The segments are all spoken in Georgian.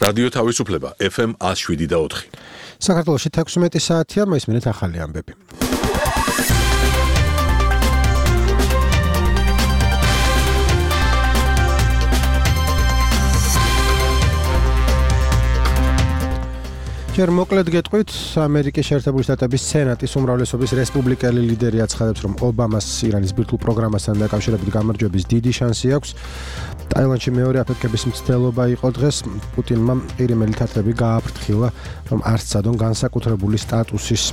რადიო თავისუფლება FM 107.4. საქართველოში 16 საათია, მოისმინეთ ახალი ამბები. ჯერ მოკლედ გეტყვით, ამერიკის შეერთებული შტატების სენატის უმრავლესობის რესპუბლიკელი ლიდერი აცხადებს, რომ ობამას ირანის ბირთვულ პროგრამასთან დაკავშირებით გამარჯვების დიდი შანსი აქვს. ტაილანდში მეორე აფეთქების მცდელობა იყო დღეს. პუტინმა ყირიმელი თათრები გააფრთხილა, რომ არ სცადონ განსაკუთრებული სტატუსის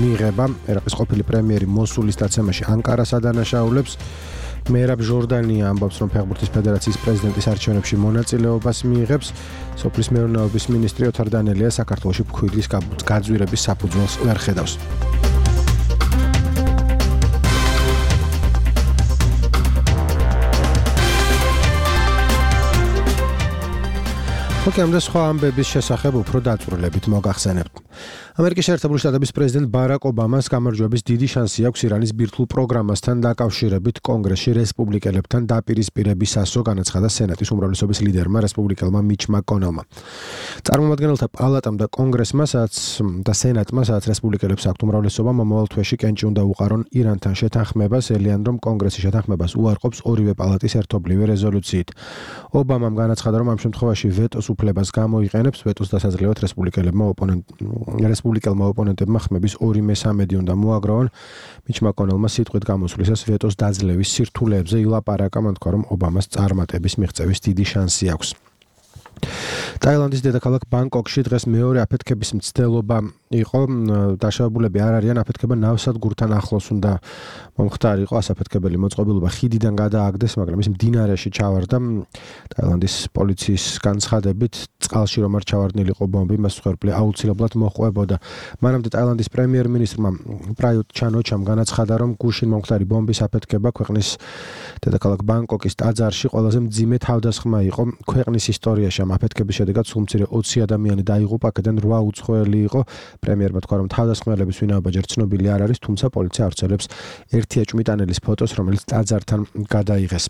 მიღება. ერაყის ყოფილი პრემიერი მოსულის დაცემაში ანკარას ადანაშაულებს. მერაბ ჟორდანია ამბობს, რომ ფეხბურთის ფედერაციის პრეზიდენტის არჩევნებში მონაწილეობას მიიღებს. სოფლის მეურნეობის მინისტრი ოთარ დანელია საქართველოში ფქვილის გაძვირების საფუძველს ვერ ხედავს. ოკეამდე სხვა ამბების შესახებ უფრო დაწვრილებით მოგახსენებთ. ამერიკის შეერთებული შტატების პრეზიდენტ ბარაკ ობამას გამარჯვების დიდი შანსი აქვს ირანის ბირთვულ პროგრამასთან დაკავშირებით კონგრესში რესპუბლიკელებთან დაპირისპირებისასო, განაცხადა სენატის უმრავლესობის ლიდერმა რესპუბლიკელმა მიჩ მაკონელმა. წარმომადგენელთა პალატამ და კონგრესმა და სენატმა, სადაც რესპუბლიკელებს აქვთ უმრავლესობა, მომავალ თვეში კენჭი უნდა უყარონ ირანთან შეთანხმებას, ელიან რომ კონგრესი შეთანხმებას უარყოფს ორივე პალატის ერთობლივი რეზოლუციით. ობამამ განაცხადა, რომ ამ შემთხვევაში ვეტოს უფლებას გამოიყენებს, ვეტოს დასაძლევად რესპუბლიკელმა ოპონენტებმა ხმების 2/3 უნდა მოაგროვონ. მიჩ მაკონელმა სიტყვით გამოსვლისას ვეტოს დაძლევის სირთულეებზე ილაპარაკა, მან თქვა, რომ ობამას წარმატების მიღწევის დიდი შანსი აქვს. ტაილანდის დედაქალაქ ბანგკოკში დღეს მეორე აფეთქების მცდელობა იყო. დაშავებულები არ არიან, აფეთქება ნავსადგურთან ახლოს უნდა მომხდარიყო. ასაფეთქებელი მოწყობილობა ხიდიდან გადააგდეს, მაგრამ ის მდინარეში ჩავარდა. ტაილანდის პოლიციის განცხადებით, წყალში რომ არ ჩავარდნილიყო ბომბი, მას მსხვერპლი აუცილებლად მოჰყვებოდა. მანამდე ტაილანდის პრემიერ-მინისტრმა პრაიუტ ჩან-ოჩამ განაცხადა, რომ გუშინ მომხდარი ბომბის აფეთქება ქვეყნის დედაქალაქ ბანგკოკის ტაძარში ყველაზე მძიმე თავდასხმა იყო ქვეყნის ისტორიაში. ამ აფეთქების შედეგად სულ მცირე 20 ადამიანი დაიღუპა, აქედან 8 უცხოელი იყო. პრემიერმა თქვა, რომ თავდასხმელების ვინაობა ჯერ ცნობილი არ არის, თუმცა პოლიცია ავრცელებს ერთი ეჭვმიტანელის ფოტოს, რომელიც ტაძართან გადაიღეს.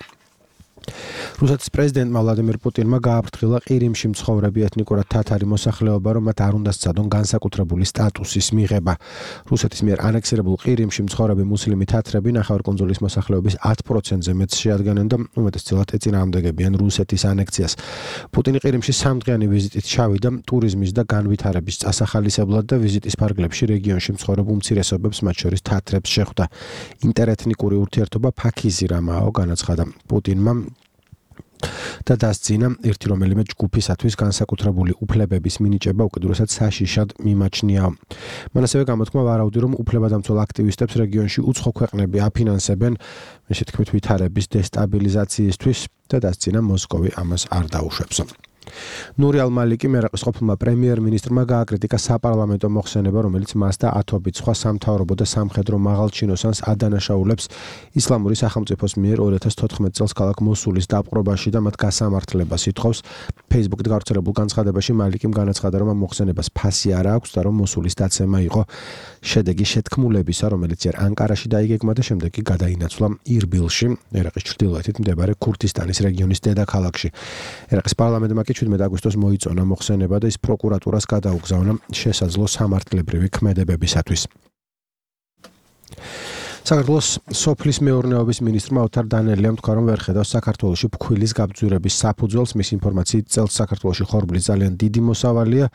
რუსეთის პრეზიდენტმა ვლადიმირ პუტინმა გააფრთხილა ყირიმში მცხოვრები ეთნიკურად თათარი მოსახლეობა, რომ მათ არ უნდა სცადონ განსაკუთრებული სტატუსის მიღება. რუსეთის მიერ ანექსირებულ ყირიმში მცხოვრები მუსლიმი თათრები ნახევარკუნძულის მოსახლეობის 10%-ზე მეტს შეადგენენ და უმეტესწილად ეწინააღმდეგებიან რუსეთის ანექსიას. პუტინი ყირიმში 3 დღიანი ვიზიტით ჩავიდა ტურიზმის და განვითარების წასახალისებლად და ვიზიტის ფარგლებში რეგიონში მცხოვრებ უმცირესობებს, მათ შორის თათრებს შეხვდა. ინტერეთნიკური ურთიერთობა ფაქიზი რამაო, განაცხადა პუტინმა და დასძინა ერთი რომელიმე ჯგუფისათვის განსაკუთრებული უფლებების მინიჭება უკიდურესად საშიშად მიმაჩნია. მან ასევე გამოთქმა ვარაუდი, რომ უფლებადამცველ აქტივისტებს რეგიონში უცხო ქვეყნები აფინანსებენ მისი თქმით ვითარების დესტაბილიზაციისთვის და დასძინა მოსკოვი ამას არ დაუშვებს. ნური ალ-მალიკი ერაყის ყოფილმა პრემიერ-მინისტრმა გააკრიტიკა საპარლამენტო მოხსენება, რომელიც მას და ათობით სხვა სამთავრობო და სამხედრო მაღალჩინოსანს ადანაშაულებს ისლამური სახელმწიფოს მიერ 2014 წელს ქალაქ მოსულის დაპყრობაში და მათ გასამართლებას ითხოვს. Facebook-ით გავრცელებულ განცხადებაში მალიკიმ განაცხადა, რომ ამ მოხსენებას ფასი არ აქვს და რომ მოსულის დაცემა იყო შედეგი შეთქმულებისა, რომელიც ჯერ ანკარაში დაიგეგმა და შემდეგ კი გადაინაცვლა ირბილში, ერაყის ჩრდილოეთით მდებარე ქურთისტანის რეგიონის დედაქალაქში. ერაყის პარლამენტმა 17 აგვისტოს მოიწონა მოხსენება და ის პროკურატურას გადაუგზავნა შესაძლო სამართლებრივი ქმედებებისათვის. საქართველოს სოფლის მეურნეობის მინისტრმა ოთარ დანელიამ თქვა, რომ ვერ ხედავს საქართველოში ფქვილის გაბძვირების საფუძველს. მის ინფორმაციით წელს საქართველოში ხორბლის ძალიან დიდი მოსავალია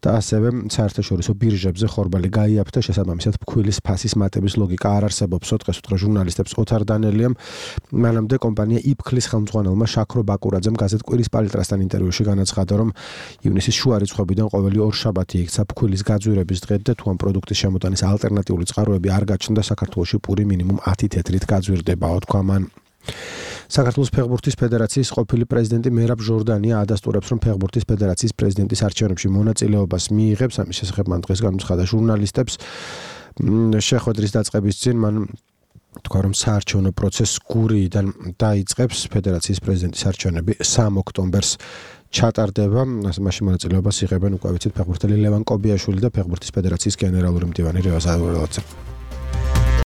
და ასევე საერთაშორისო ბირჟებზე ხორბალი გაიაფთა, შესაბამისად ფქვილის ფასის მატების ლოგიკა არ არსებობს. დღეს უთხრა ჟურნალისტებს ოთარ დანელიამ. მანამდე კომპანია იფქლის ხელმძღვანელმა შაქრო ბაკურაძემ გაზეთ კვირის პალიტრასთან ინტერვიუში განაცხადა, რომ ივნისის შუა რიცხვებიდან ყოველი 2 შაბათი იქცა ფქვილის გაძვირების დღე და თუ ამ პროდუქტის შემოტანის ალტერნატიული წყაროები არ გაჩნდა, საქართველოში პური მინიმუმ 10 თეთრით გაძვირდებაო, თქვა მან. საქართველოს ფეხბურთის ფედერაციის ყოფილი პრეზიდენტი მერაბ ჟორდანია ადასტურებს, რომ ფეხბურთის ფედერაციის პრეზიდენტის არჩევნებში მონაწილეობას მიიღებს. ამის შესახებ მან დღეს განუცხადა ჟურნალისტებს. შეხვედრის დაწყების წინ მან თქვა, რომ საარჩევნო პროცესს გურიიდან დაიწყებს. ფედერაციის პრეზიდენტის არჩევნები 3 ოქტომბერს ჩატარდება. მაშინ მონაწილეობას იღებენ უკვე ვიცით ფეხბურთელი ლევან კობიაშვილი და ფეხბურთის ფედერაციის გენერალური მდივანი რევაზ აზურელაძე.